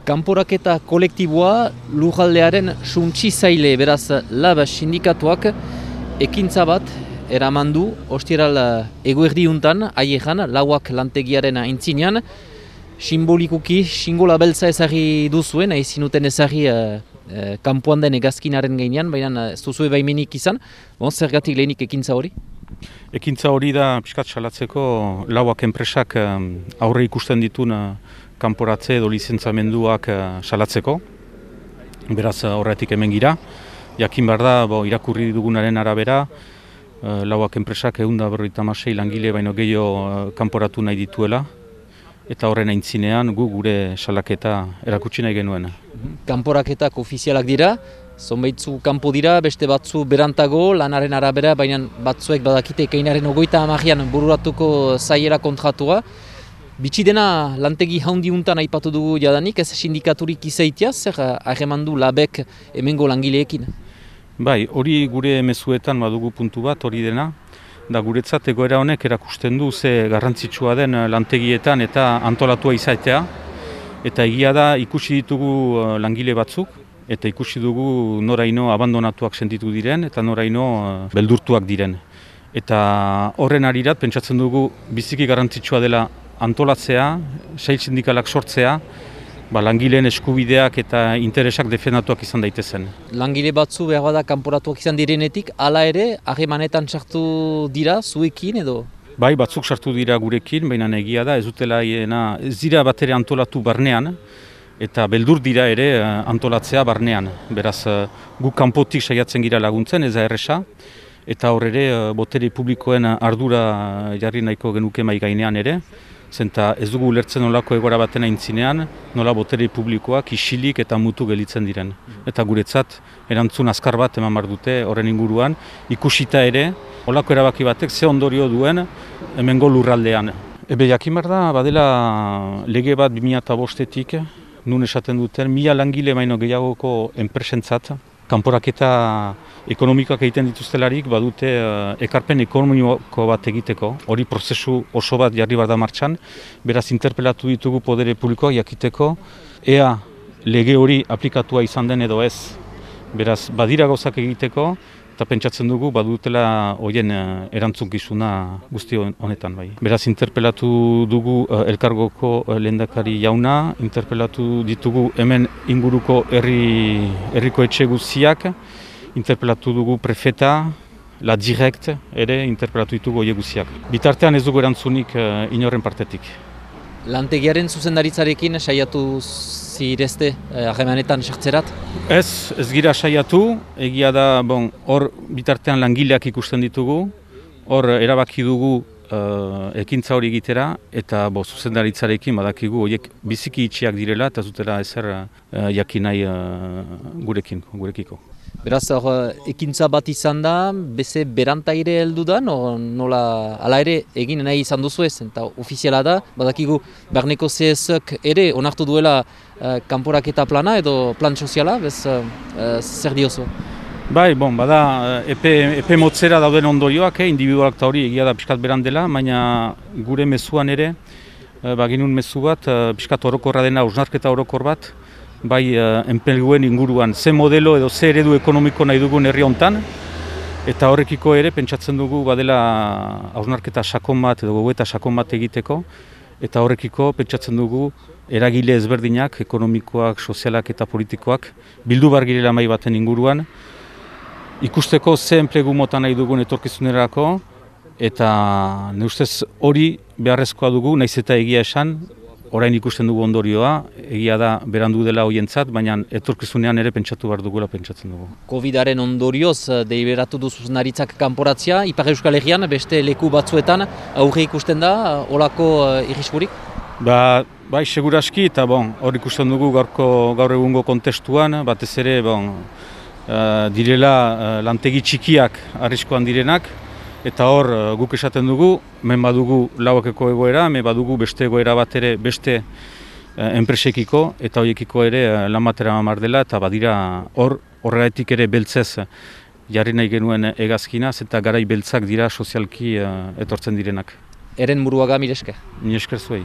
Kanporaketa kolektiboa lujaldearen suntsizaile beraz lab sindikatuak ekintza bat eraman du ostieral eguerdiuntan haiejan lauak lantegiaren aintzinean simbolikuki xingola beltza ezagri duzuen, zinuten ezagri kanpoan den hegazkinaren gainean, baina ez duzue baimenik izan. Zergatik lehenik ekintza hori? Ekintza hori da pixkat salatzeko lauak enpresak aurre ikusten ditun kanporatze edo lizentzamenduak salatzeko. Beraz horretik hemen gira. Jakin behar da, irakurri dugunaren arabera, lauak enpresak 156 langile baino gehiago kanporatu nahi dituela. Eta horren aintzinean gure salaketa erakutsi nahi genuen. Kanporaketak ofizialak dira, zonbaitzu kanpo dira, beste batzu berantago, lanaren arabera, baina batzuek badakite ekainaren 30an bururatuko zaiera kontratua. Bitxi dena lantegi haundiuntan aipatu dugu jadanik, ez sindikaturik izaitia, zer harremandu labek hemengo langileekin? Bai, hori gure mezuetan badugu puntu bat, hori dena. Da guretzat egoera honek erakusten du ze garrantzitsua den lantegietan eta antolatua izatea. Eta egia da ikusi ditugu langile batzuk, eta ikusi dugu noraino abandonatuak sentitu diren eta noraino beldurtuak diren. Eta horren arirat pentsatzen dugu biziki garrantzitsua dela antolatzea, sail sindikalak sortzea, langileen eskubideak eta interesak defendatuak izan daitezen. Langile batzu behar bada kanporatuak izan direnetik, hala ere, harremanetan sartu dira zuekin edo? Bai, batzuk sartu dira gurekin, baina egia da, ez dira bat ere antolatu barnean, eta beldur dira ere antolatzea barnean. Beraz, guk kanpotik saiatzen gira laguntzen, ez da erresa, eta hor ere, botere publikoen ardura jarri nahiko genuke mai gainean ere, zenta ez dugu ulertzen nolako egora baten aintzinean, nola botere publikoak isilik eta mutu gelitzen diren. Eta guretzat, erantzun azkar bat eman behar dute horren inguruan, ikusita ere, olako erabaki batek ze ondorio duen hemengo lurraldean. Jakin behar da, badela lege bat 2005-etik, nun esaten duten, 1000 langile baino gehiagoko enpresentzat, kanporaketa ekonomikoak egiten dituztelarik badute ekarpen ekonomiko bat egiteko. Hori prozesu oso bat jarri behar da martxan, beraz interpelatu ditugu podere publikoak jakiteko, ea lege hori aplikatua izan den edo ez. Beraz, badira gauzak egiteko, eta pentsatzen dugu badutela horien erantzunkizuna guzti honetan. Bai. Beraz, interpelatu dugu elkargoko lehendakari jauna, interpelatu ditugu hemen inguruko herriko etxe guztiak, interpelatu dugu prefeta, la direct ere interpelatu ditugu horiek guztiak. Bitartean ez dugu erantzunik inorren partetik. Lantegiaren zuzendaritzarekin saiatu zirezte harremanetan sartzerat? Ez gira saiatu, egia da hor bitartean langileak ikusten ditugu, hor erabaki dugu ekintza hori egitera, eta zuzendaritzarekin badakigu horiek biziki itxiak direla eta zutela ezer jakin nahi gurekiko. Beraz, ekintza bat izan da, beze berantaire heldu da, nola ala ere egin nahi izan duzu ez, eta ofiziala da, badakigu barneko CSek ere onartu duela kanporaketa plana edo plan soziala, zer diozu? Bai, bada epe motzera dauden ondorioak, individualak eta hori egia da pixkat beran dela, baina gure mezuan ere, baginun mezu bat, pixkat orokorra dena, hausnarketa orokor bat, bai enpleguen inguruan, ze modelo edo ze eredu ekonomiko nahi dugun herri hontan, eta horrekiko ere pentsatzen dugu badela hausnarketa sakon bat edo gogoeta sakon bat egiteko, eta horrekiko pentsatzen dugu eragile ezberdinak, ekonomikoak, sozialak eta politikoak, bildu bar girela mahai baten inguruan, ikusteko ze enplegu mota nahi dugun etorkizunerako, eta ne ustez hori beharrezkoa dugu, nahiz eta egia esan, orain ikusten dugu ondorioa, egia da berandu dela hoientzat, baina etorkizunean ere pentsatu behar dugula pentsatzen dugu. Covidaren ondorioz deliberatu du zuzendaritzak kanporatzea, Ipar Euskal Herrian, beste leku batzuetan aurre ikusten da, olako irriskurik? Bai, seguraski, eta hor ikusten dugu gaur egungo kontestuan, batez ere direla lantegi txikiak arriskoan direnak, eta hor guk esaten dugu, hemen badugu lauakeko egoera, hemen badugu beste egoera bat ere beste enpresekiko, eta horiekiko ere lan batera mamar dela, eta badira horregatik ere beltzez jarri nahi genuen hegazkinaz, eta garai beltzak dira sozialki etortzen direnak. Eren Muruaga, mire esker. Mire esker zuei.